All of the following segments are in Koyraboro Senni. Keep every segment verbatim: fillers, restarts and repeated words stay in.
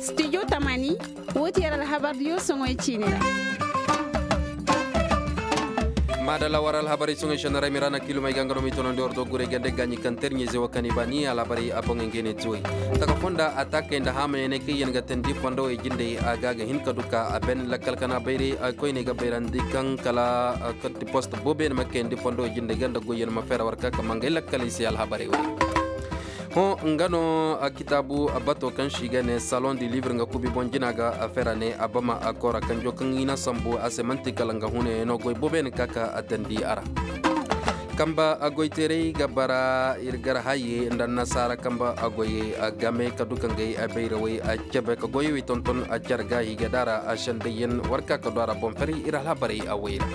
Studio tamani, woo ti yer alhabardiyo soŋoy ciini ra. Maadalla war alhabarey soŋoy sennarey mi ra na kiilumey ga nga no m'i tonandi war do guray gande gaaɲi kaŋ terɲey ze wo kaŋ i ba ni alhabarey a boŋey ngey ne ti wey. Taka fonda ataakey nda haamayaney kaŋ yaŋ ga teendi fondowey jindey a ga a ga hin ka du ka a ben lakkal kana bayray koyney ga bayrandi kaŋ kala katti post booboyaŋ ma kayandi fondowey jindey ga nda goyyaŋ ma feera war ka ka mangay lakkaley se alhabarey wey. Hõ nga no kitaabu bato kaŋ se i ga ne salon du livre nga kubi boŋ jina ga a feera ne a bama a koora kanjo kaŋ i na sambu a se man'ti kala nga hunayaŋo goy booboyaŋ ka ka a teendi a ra. Kamba goyteeray ga bara ir gar haye nda annasaara kamba goyey game ka du ka ngey bayrawey cebe ka goyey wey tonton care ga i ga daara sendeyaŋ war ka ka du a ra boŋ fari ir alhabarey a wey ra.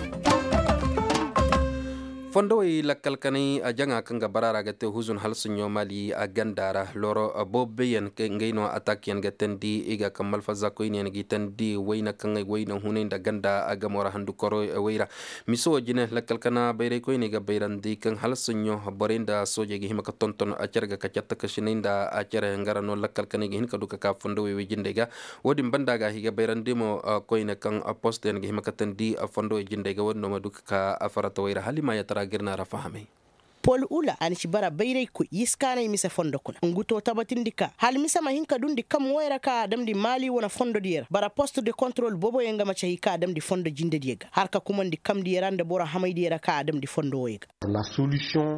Fondowey lakkal kanay jaŋa kaŋ ga bara ra ga te huzun halsuɲo mali a ganda ra looro booboyaŋ ngey no atakiyaŋ ga teendi i ga kaŋ malfazza koyneyaŋ g'i teendi wayna kaŋ ay wayna hunay nda ganda a gamo ra handu koro way ra. Miso wo jine lakkal kana bayray koyney ga bayrandi kaŋ halsuɲo borey nda soojey ga hima ka tonton a care ga ka catta kasinay nda a care nga ra no lakkal kanay ga hin ka du ka ka fondowey way jindey ga. Wo-din banda ga a hige bayrandi mo koyne kaŋ postoyaŋ ga hima ka teendi fondowey jindey ga wo-din no ma du ka ka a faratawey ra hala i ma yatara ga ir na ra fahamay. Pol ula a na ci bara bayraykoy yiskaanay mise fondo kuna ngu to tabatindi ka hala mise ma hin ka dundi kam woy ra ka a damndi maali wane fondodiyo ra bara post de kontrol booboyaŋ ga maci hay ka a damndi fondo jindediyo ga har ka kumandi kamdiyo ra nda boro hamaydiyo ra ka a damndi fondo woy ga.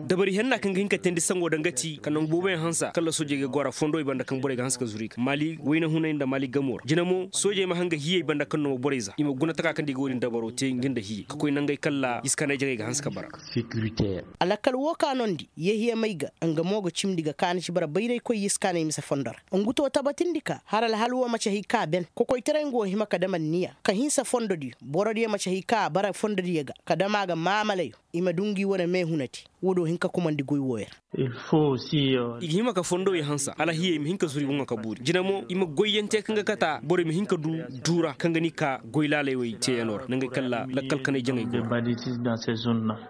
Dabari henna kaŋ ga hin ka teendi sango daŋ ga ti ka nangu booboyaŋ hansa kala soojey ga gora fondo i banda kaŋ borey ga hanse ka zuru i ga maali wayna hunay nda maali gamo ra jina mo soojey ma hanga hiyey banda kaŋ no ma borey za i ma guna taka kaŋ da i ga wo-din dabaro te nga nda hiyey ka koy nangey kala iskaanay jaŋey ga hanse ka bara. Alakal wo ka noondi yehiya may ga nga mo ga cimndi ga kaani ci bara bayraykoy iskaanay mise fondo ra ngu to tabatindi ka har alhal wo maci hay ka ben kokoytaray nga wo hima ka dam anniya ka hinsa fondodiyo borodiyo maci hay ka a bara fondodiyo ga ka dam a ga maamalayo i ma du ngi wane meehunadi. Wo-do hin ka kumandi goy wooyo ra. I ga hima ka fondowey hansa hala hiyey ma hin ka zuru i boŋo ka buuri jina mo i ma goyyaŋ te kaŋ ga kata borey ma hin ka du duura kaŋ ga ni ka goy laaley wey teeyaŋo ra nangey kala lakkal kanay jaŋey go.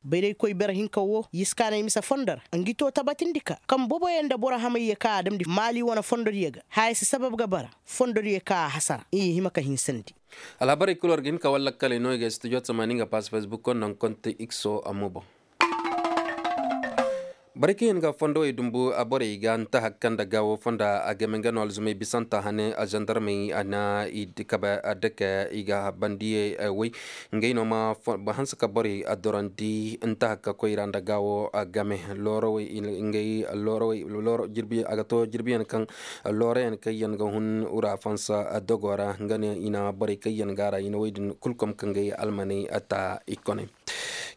Bayraykoy bere hinka wo yiskaanay mise fondo ra ngi to tabatindi ka kaŋ boboyaŋ nda boro hamayyo ka a damndi maali wane fondodiyo ga haya si sabab ga bara fondodiyo ka a hasara i hima ka hinsandi. Alhabarey kul war ga hin ka wallakkaley no i ga studio tamaani nga pass facebook konda nga konte ikso amma boŋ. Borey kaŋ yaŋ ga fondowey dumbu borey ga nta hakka nda gaawo fonda a game nga no alzumey bisanta hane a zandarmey a na i kabe a dake i ga bandiyey woy. Ngey no ma hanse ka borey a dorandi nta hakka koyra nda gaawo game loorowey ngey loorowey looro jirbi a ga to jirbiyaŋ kaŋ looroyaŋ kaŋ yaŋ ga hun ura fansa dogo ra nga ne i na borey kaŋ yaŋ ga a ra i na woy din kul kom ka ngey almaney ta i koney.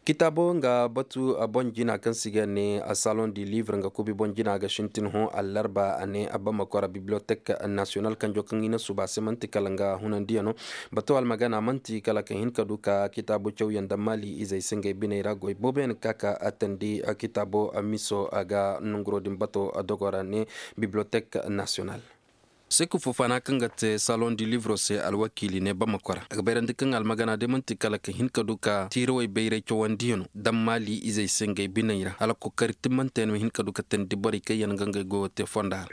Kitaabo nga batu boŋ jina kaŋ se i ga ne salon du livre nga kubi boŋ jina ga sintin hõ allarba a ne a bamako ra bibliotek nasiyonal kanjo kaŋ i na suba a se man'ti kala nga hunandiyano. Bato almagana man'ti kala ka hin ka du ka kitaabo cawyaŋ nda maali izey se ngey biney ra goy booboyaŋ ka ka a tandi kitaabo miso a ga nonguro din bato dogo ra ne bibliotek nasiyonal. Seku fofana kaŋ ga te salon du livro se alwakiili ne bamako ra a ga bayrandi kaŋ almagana day man'ti kala ka hin ka du ka tiirawey bayray cawandiyano daŋ maali izey se ngey biney ra hala kokari timmante yaŋ ma hin ka du ka teendi borey kaŋ yaŋ ga ngey goyo te fonda ra.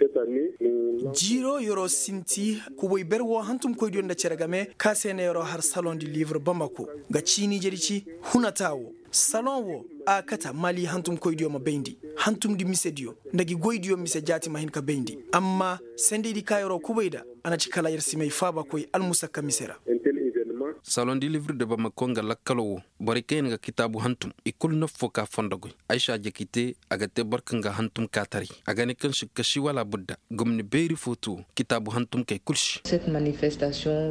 Jiiro yoro sinti kubay ber wo hantumkoydiyo nda cere game ka se ne yoro har salon du livre bamako ga ciini jedi ci hunata wo. Salon wo a kata maali hantumkoydiyo ma bayndi hantumdi misediyo nda gi goydiyo mise jaati ma hin ka bayndi amma sendeydi ka yeroo kubay nda a na ci kala yer si may faabakoy almusakka mise ra. Salon du livre de bamako nga lakkalo wo borey kaŋ yaŋ ga kitaabu hantum i kulu naffo ka fondo goy. Aysa jaki te a ga te boro kaŋ ga hantum kaataray a ga ne kaŋ si kasi wala budda gomni beeri fo to kitaabu hantumkey kul se.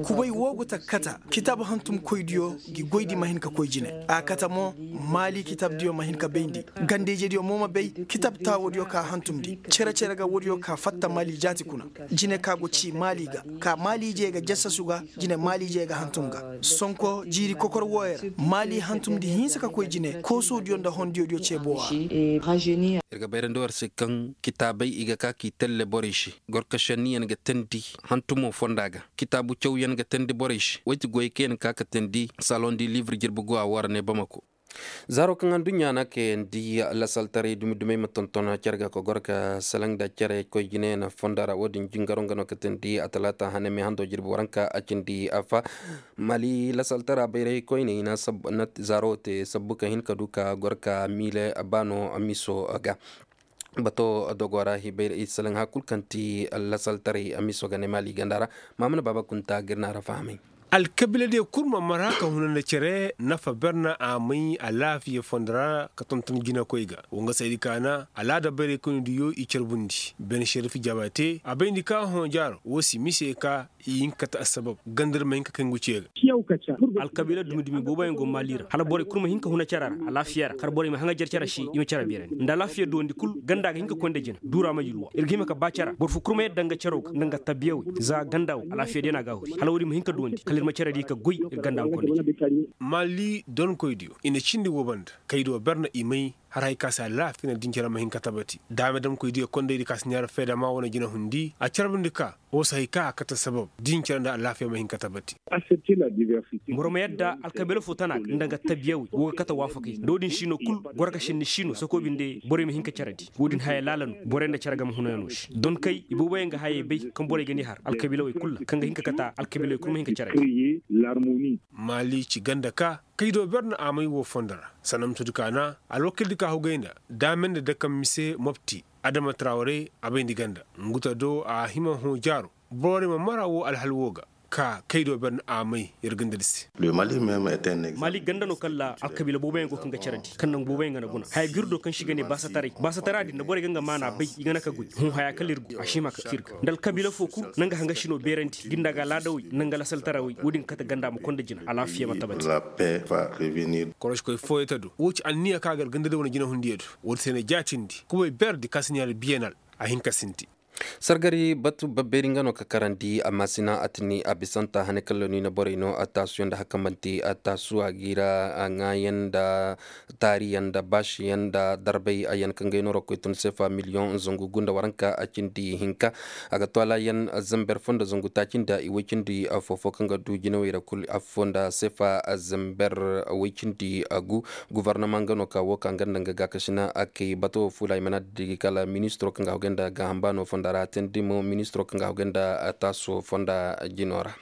Kubay woo go ta kata kitaab hantumkoydiyo gi goydi ma hin ka koy jine a kata mo maali kitaabdiyo ma hin ka bayndi ganda-ijediyo mo ma bay kitaab taawodiyo ka hantumndi cere-cere ga woodiyo ka fatta maali jaati kuna. Jine ka go cii maali ga ka maali-ijey ga jassasu ga jine maali-ijey ga hantum ga sonko jiiri kokor wooyo ra maali hantumndi hinsa ka koy jine koosodiyo nda hondiyodiyo ceeboo a. Ir ga bayrandi war se kaŋ kitaabey i ga ka k'i telle borey se gorkasenniyaŋ ga teendi hantumo fonda ga kitaabu cawyaŋ ga teendi borey se woy ti goyey kaŋ yaŋ ka ka teendi salon du livre jirbi go a woo ra ne bamako. Zaaro kaŋ aduɲɲa na kayandi lasaltaray dumi-dumey ma tonton care ga ka goro ka salaŋ nda care koy jine na fondo ra wo- din jingaro nga no ka teendi a talaata hane me hando jirbi waranka a cindi a fa. Mali lasaltara bayray koyney na zaaro te sabbu ka hin ka du ka goro ka miile baano miso ga. Bato dogo ra hibayra i salaŋ hakul kaŋ ti lasaltaray miso ga ne mali ganda ra. Maamuna baaba kunta ga ir na ra fahamay. Alkabiila diyo kul ma mara ka huna nda cere nafa ber na a may alaafiya fondo ra ka tonton jinakoy ga. Wo nga saydi kaana alaada bayray koyne diyo i carbundi ben šerif jabate a bayndi ka hõ jaaro wo si mise ka i hinka ta assabab ganda ir ma hinka kaŋ guciye ga. Alkabiila dumi-dumi booboyaŋ go maali ra hala borey kul ma hinka huna cara ra alaafiya ra kar borey ma haŋa jer cara se i ma cara beerandi nda alaafiya duwandi kul ganda ga hinka konda jina duura ma yulwa ir ga hima ka ba cara boro fo kul ma yadda nga caro ga nga nga tabbiyawey za ganda wo alaafiya day no a ga a huri hala woodi ma hinka duwandi kala ir ma cara di ka goy ir ganda ma konda jina. Maali donkoy diyo i na cindi wo banda kay do ber na i may har hay ka se alaafiya na din care ma hin ka tabati daame damkoy diyo kondaydi ka si ɲaara feedama wane jina hundi a carbundi ka wo si hay ka a kate sabab din care nda alaafiya ma hin ka tabati. Boro ma yadda alkabiila fo tana ga nda nga tabiya wey wo ga kate waafakay nda wo-din siino kul goro ka sinni siino sokoo binde borey ma hin ka care di wo-din haya laala no borey nda care game hunayanoo se donkay ibooboyaŋ ga hayey bay kaŋ borey ga n'i har alkabiila wey kul ra kaŋ ga hin ka kate alkabiila wey kul ma hin ka care di. Maali ci ganda ka kay do ber na a may wo fondo ra sanda ma todi kaana alwakildi ka hugay nda daame nda dakaŋ mise mopti adama traware a bayndi ganda nguta do a hima hõ jaaro borey ma mara wo alhal wo ga ka kay do ber na a may ir ganda di se. Maali ganda no kaŋ ra alkabiila booboyaŋ go kaŋ ga care di kaŋ naŋ booboyaŋ ga na guna haya ga ir do kaŋ se i ga ne baasataray baasatara din nda borey ga nga maana bay i ga na ka goy hõ haya kala ir go a si hima ka ci ir ga nda alkabiila fo kul naŋ ga haŋ ga sino beerandi ga nda ga alaadawey naŋ ga lasaltarawey wo-din ga kate ganda ma konda jina alaafiya ma tabati. Koroškoy fooyey ta do wo ci anniya kaŋ a gar ganda day wane jinahundiyo do wo-din se na jaatindi kubay beerdi kaŋ se ɲaari biyenal a hin ka sinti. Sargari batu babbeeri nga no ka karandi amma sina atini a bisanta hane kalloni na borey no a taasuyaŋ nda hakka manti a taasuwa giira a ŋaayaŋ nda taariyaŋ nda baasiyaŋ nda darbay ayyaŋ kaŋ gay no ra koy tun seefa miliyoŋ zangu gu nda waranka a cindi hinka. A ga to alaayaŋ zamber fo nda zangu taaci nda i woy cindi foofo kaŋ ga du jinawey ra kul affo nda seefa zamber woy cindi gu. Guvarnama nga no ka wo ka nga nda nga gaakasina a kay bato fuula ay mana digi kala ministiro kaŋ ga hogay nda gaaham baano fonda ra a teendi mo ministiro kaŋ ga hogay nda taaso fonda jino ra.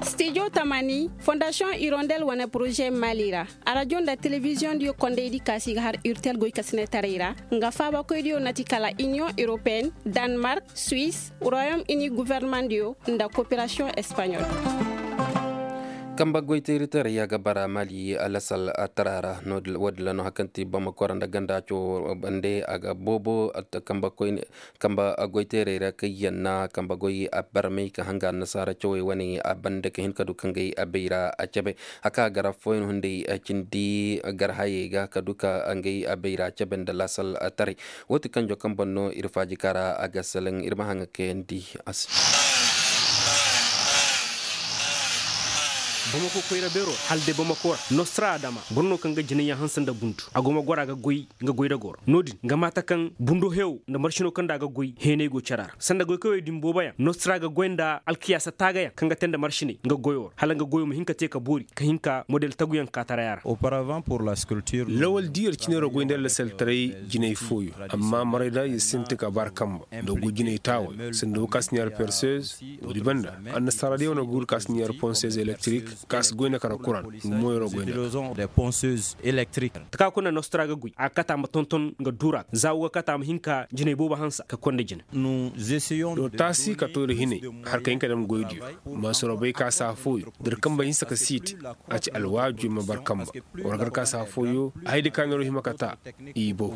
Stijo tamani fondasiyoŋ irondel wane poroze mali ra. Arajo nda telebiziyoŋ diyo kondaydi kaasi ga har urtel goykasinetaray ra nga faabakoydiyo na ti kala iniyoŋ europeen, danmark, suwis, royom ini guvernemandiyo nda koperasiyoŋ espanyol. Kamba goyteeritaray a ga bara mali alasal tara ra. Woodin ra no hakanti bamako ra nda ganda cawo bande a ga boobo kamba goyteeray ra kaŋ yaŋ na kamba goy a barmay ka hanga annasaara cawey wane a bande ka hin ka du ka ngey a bayra a cabe. Haka gara fooyaŋ hunday cindi gar hayey ga ka du ka ngey a bayra a cabe nda laasal taray. Woo ti kanjo kaŋ boŋ no ir faaji kara a ga salaŋ ir ma haŋa kayandi a se. Bamako koyra beero hala day bamako ra nostra adama boro no kaŋ ga jinayyaŋ hanse nda bundu a go ma goro a ga goy nga goy da goro no- din nga maata kaŋ bundo heewo nda marshino kaŋ nda a ga goy heenay go cara ra sanda goykawey din booboyaŋ nostra ga goy nda alkiyaasa taagayaŋ kaŋ ga te nda marshiney nga goyo ra hala nga goyo ma hin ka te ka boori ka hin ka model taguyaŋ ka taray a ra. Lawal diiyar cine ra goy nda lasaltaray jinay fooyo amma maray da ir sinti ka bar kamba nda go jinay taaway sanda wo ka si ɲaari perseuse. Woodi banda annasaara diyaŋ wane guuru ka si ɲaari ponseuse elektrik ka si goy nda kara kuran nga moyo ra goy nda. Taka kuna nostra ga goy a ga kata ma tonton nga duura za wo ga kata ma hin ka jinay boobo hansa ka konda jina. Taasi ka to ir hinay har ka hin ka dam goydiyo. Mansuro bay ka saa fooyo da ir kamba hinsa ka siiti a ci alwaaju ir ma bar kamba. War gar ka saa fooyo a hay da kaaniro hima ka taa. I bow.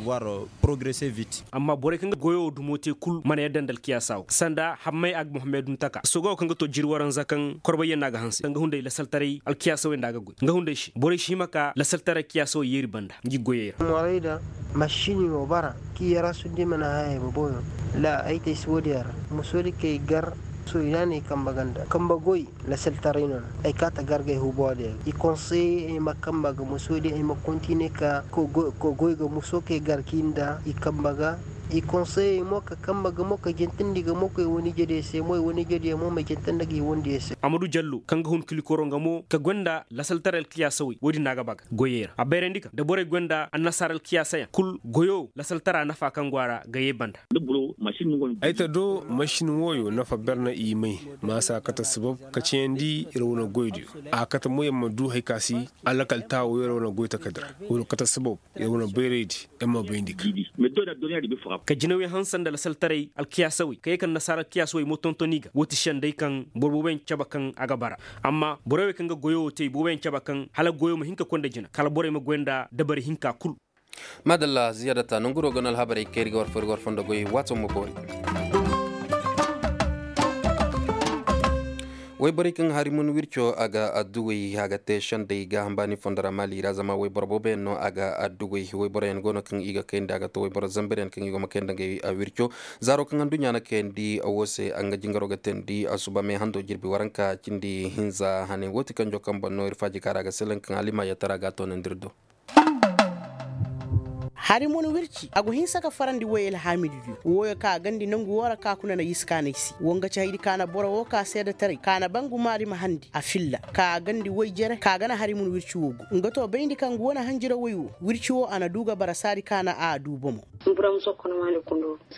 Amma borey kaŋ ga goyo wo dumo te kul mana yadda nda alkiyaasa wo sanda hammay ag muhammadu ntaka soga wo kaŋ ga to jiri waranza kaŋ korbayyaŋ no a ga hanse kaŋ ga hunday lasaltaray alkiyaasa wey nda a ga goy nga hunday se borey si hima ka lasaltaray kiyaasa wey yeeri banda ngi goyey ra. Morayda masini wo bara ki yarasu di mana haya ay boboyo. La ay te si woodiyaŋ ra musoodi kay gar soydaaney kamba ganda kamba goy. Lasaltaray no na ay kaata gargay huboodiyaŋ i konseye ay ma kamba ga musoodi ay ma kontine ka goy ga muso kay gar ki nda i kamba ga. I konseyey mo ka kambe ga mo ka jintandi ga mo koy wani jadiyo se mo i wani jadiyo mo ma jintandi ga i wani diyo se. Amadu jallo kaŋ ga hun kilikoro nga mo ka gonda lasaltaray alkiyaasawey wo-din no a ga ba ga goyey ra a bayrandi kaŋ da borey gonda annasaara alkiyaasayaŋ kul goyo lasaltara nafa kaŋ go a ra ga ye banda. Ay ta do masin wooyo nafa ber no i may. Ma se a kate sabab ka cayandi ir wane goydiyo a kate mo yer ma du hari ka si alakal taawo yer wane goy takadira wo- din kate sabab yer wane bayraydi yer ma bayndi ka. Ka jinawey hanse nda lasaltaray alkiyaasawey ka ye ka annasaara alkiyaasawey mo tonton i ga wo ti senday kaŋ boro booboyaŋ cabe kaŋ a ga bara. Amma borey wey kaŋ ga goyo wo te i booboyaŋ cabe kaŋ hala goyo ma hin ka koy nda jina kala borey ma goy nda dabari hinka kul. Maadalla ziyaadata nanguro ga no alhabarey kayri ga war fari war fondo goy waato ma boori. Wayborey kaŋ hari mun wirco a ga adduwey a ga te sendey gaaham baani fondo ra maali ra zama wayboro booboyaŋ no a ga adduwey wayboroyaŋ go no kaŋ i ga kayndi a ga to wayboro zambaryaŋ kaŋ i go ma kayndi ngey wirco. Zaaro kaŋ anduɲɲa na kayandi wo se a nga jingaro ga teendi a suba me hando jirbi waranka cindi hinza hane wo ti kanjo kaŋ boŋ no ir faaji kaara ga selaŋ kaŋ alima yattara ga a toonandi ir do. Hari mo na wirci a go hinsa ka farandi woy alhaamidu diyo wooyo ka a gandi nangu woo ra ka kuna na yiskaanay se woo nga ci haydi ka na boro woo ka seedetaray ka na bangu maari ma handi a filla ka a gandi woy jere ka a gana hari mo na wirci woo go nga to bayndi kaŋ go wane hanjira woy woo wirci woo a na duu ga bara saadi ka na a duu bomo.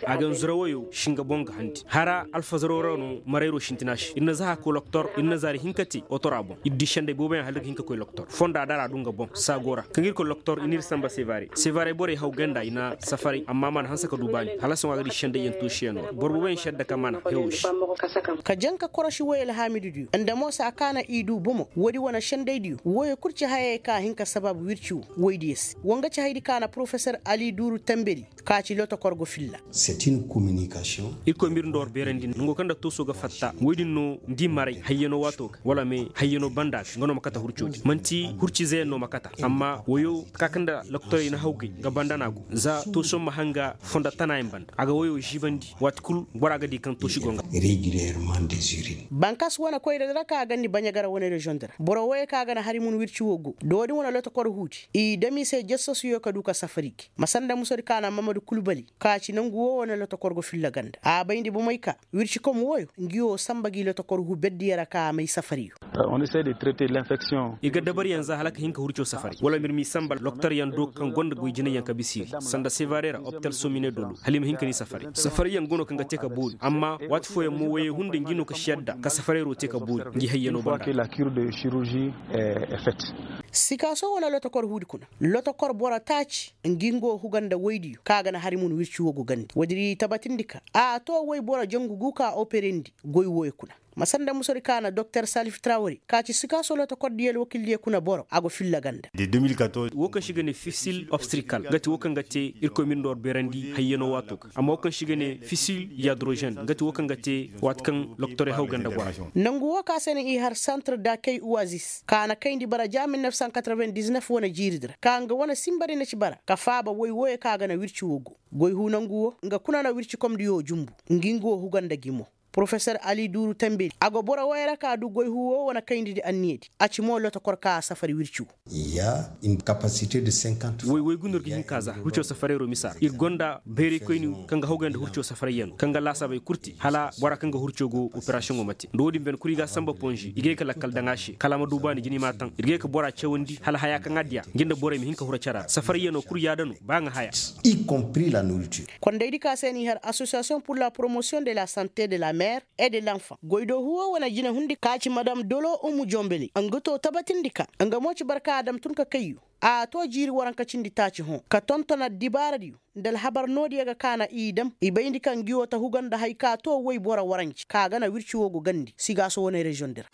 A ga nzura woyoo si nga boŋ ga handi hara alfazaroo ra no marayro sintina se ir na za haka koy loktor ir na zaari hinka te otora boŋ ir di senday booboyaŋ hala ga hin ka koy loktor fonda dara du nga boŋ saago ra kaŋ ir koy loktor ir n'ir samba sevare sevare borey haw ganda i na safaray amma mana hanse ka du baani hala sohõ a ga di senday yaŋ toosiyanoo ra boro booboyaŋ sedda ka mana hewo se. Ka jaŋ ka korosi woy alhaamidu diyo nda mo saa ka na i du bomo woodi wane senday diyo woyoo kul ci hayey ka hin ka sabab wirci woo woy diyo se woo nga ci haydi ka na porofesor ali duuru tambedi ka ci lotokor go filla. Ir koy ma ir nda war beerandi nango kaŋ nda tooso ga fatta woy din no nda i maray hayyanoo waatoo ga wala me hayyanoo banda ga nga no ma kata hurcoo din man'ti hurcizeyaŋ no ma kata amma woyoo ka kaŋ nda lokotorey na hawgay nga banda no a go za tooso ma hanga fondo tanaayaŋ banda a ga woyoo ziibandi waati kul bora ga di kaŋ toosi go nga. Bankas wane koyra di ra ka a gandi baɲagara wane reziyoŋ di ra boro woyoo ka ga na hari mun wirci woo go doodi wane lotokor huudi i dam i se jassosuyo ka du ka safari gi ma sanda musodi ka na mamadu kulbali ka ci nangu woo wane lotokor go filla ganda a bayndi bomey ka wirci kom wooyo ngi woo samba gi lotokor huu berdiyo ra ka a may safariyo. Ir ga dabaryaŋ za hala ka hin ka hurcoo safari wala ma ir m'i samba lokotoryaŋ do kaŋ gonda goy jinayyaŋ ka bisa iri sanda sevare ra opital somine dolo hala i ma hin ka ni safari safarayyaŋ go no kaŋ ga te ka boori amma waati fooyaŋ mo woyey hunday ngi no ka si yadda ka safarayro te ka boori ngi hayyanoo banda. Sikaaso wane lotokor huudi kuna lotokor boro taaci ngi nga wo huga nda woydiyo kaŋ a ga na hari mun wirci woo go gandi woodi ra i tabatindi ka a to woy boro jangu gu ka operandi goy wooyo kuna ma sanda musodi ka na doktor salif trawre ka ci sikaaso lotokor diyo alwakildiyo kuna boro a go filla ganda. Woo kaŋ se i ga ne fisil obstrikal nga ti woo kaŋ ga te irkoy ma ir nda war beerandi hayyanoo waatoo ga amma woo kaŋ se i ga ne fisil yadrozen nga ti woo kaŋ ga te waati kaŋ lokotorey haw ganda gora. Nangu woo ka se no i har santre dakey uwazis ka na kayndi bara ja mil nef san katreven diznef wane jiiridi ra ka nga wane sinba di na ci bara ka faaba woy wooyo kaŋ a ga na wirci woo go goy huu nangu woo nga kuna na wircikomdiyo jumbu ngi nga woo huga nda gi mo porofesor ali duuru tambedi a go boro wooyo ra ka du goy huu woo wane kayndi di anniyadi a ci mo lotokor ka a safari wirci woo. Woy woy gundur ga hin ka za hurco safarayro misa ra ir gonda bayraykoyni kaŋ ga hawgay nda hurco safarayyaŋ kaŋ ga laasaabey kul te hala bora kaŋ ga hurco go operasiyoŋo ma te nda woodin bene kul i ga a samba ponze i ga ye ka lakkal daŋ a se kala a ma du baani jina i m'a taŋ ir ga ye ka bora cawandi hala haya kaŋ a diya ngi nda borey ma hin ka huru cara ra safarayyanoo kul yaada no ba nga haya. Kondaydi ka se n'i har asosiyasiyoŋ pur la poromosiyoŋ de la sante de la mer e de lanfan goydoo huuwoo wane jinehundi ka ci madam dolo umu jonbele nga too tabatindi ka nga mo ci barka a dam tun ka kayyo a too jiiri waranka cindi taaci hõ ka tonton addibaaradiyo nda alhabar noodiyo ga kaana i dam i bayndi ka ngi woo ta huga nda hay ka too woy boro waranci ka gana wirci woo go gandi sigaaso wane reziyoŋ di ra.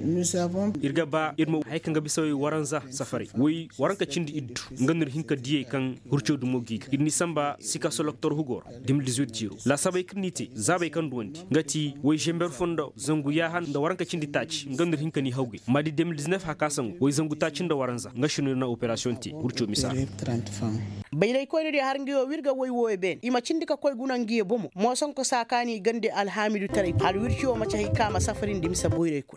Ir ga ba ir ma hay kaŋ ga bisa woy waranza safaray woy waranka cindi iddu nga no ir hin ka diyey kaŋ hurco dumo g'i ga ir n'i samba sikaso loktor hugoo ra de mil dizuit jiiro laasaabey kaŋ n'i te zaabey kaŋ duwandi nga ti woy zember foo nda zangu yaaha nda waranka cindi taaci nga no ir hin ka n'i hawgay maadi de mil diznef hakasaŋo woy zangu taaci nda waranza nga se no ir na operasiyoŋ te hurco misa ra. Bayraykoyna diyo har ngi woo w'ir ga woy wooyo beene i ma cindi ka koy guna ngi ye bomo moosonko saa kaani gande alhaamidu taray hala wirci woo ma ci hay ka ma safari nda misa boyray kuna.